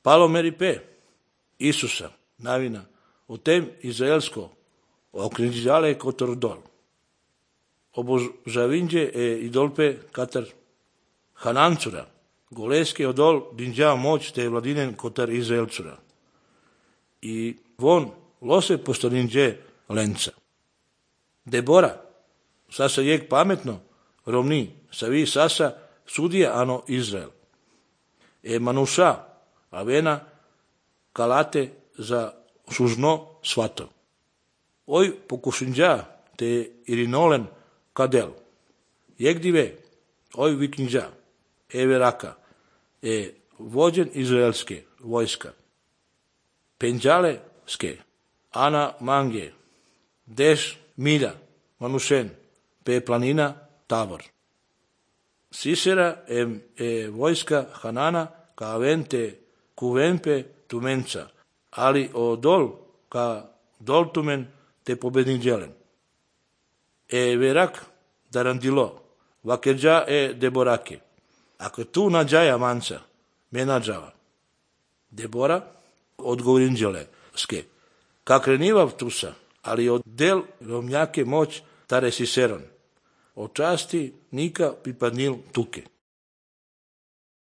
Palomeri pe Isusa, навина, o tem izraelsko, okrinđale kotor dol. Obožavinđe idolpe katar Hanancura, goleske odol dinđa moć te vladinen kotar Izraelcura. I von lose postaninđe lenca. Debora, sasa jek pametno, rovni, savi sasa sudija ano Izrael. Manuša, avena, kalate za sužno svato. Oj pokušinđa te irinolen kadel. Jekdive, oj viknđa, veraka, vođen izraelske vojska. Penđaleske, ana mange, deš milja, manušen, pe planina Tabor. Sisera vojska Hanana ka vente kuvenpe tumenca, ali o dol ka dol tumen te pobednik djelen. Verak darandilo, vakeđa deborake. Ako tu nađaja manca, me nađava. Debora odgovorin djele ske. Kak renivav tusa, ali od del romnjake moć tare siseron. O časti nika pripadnil tuke.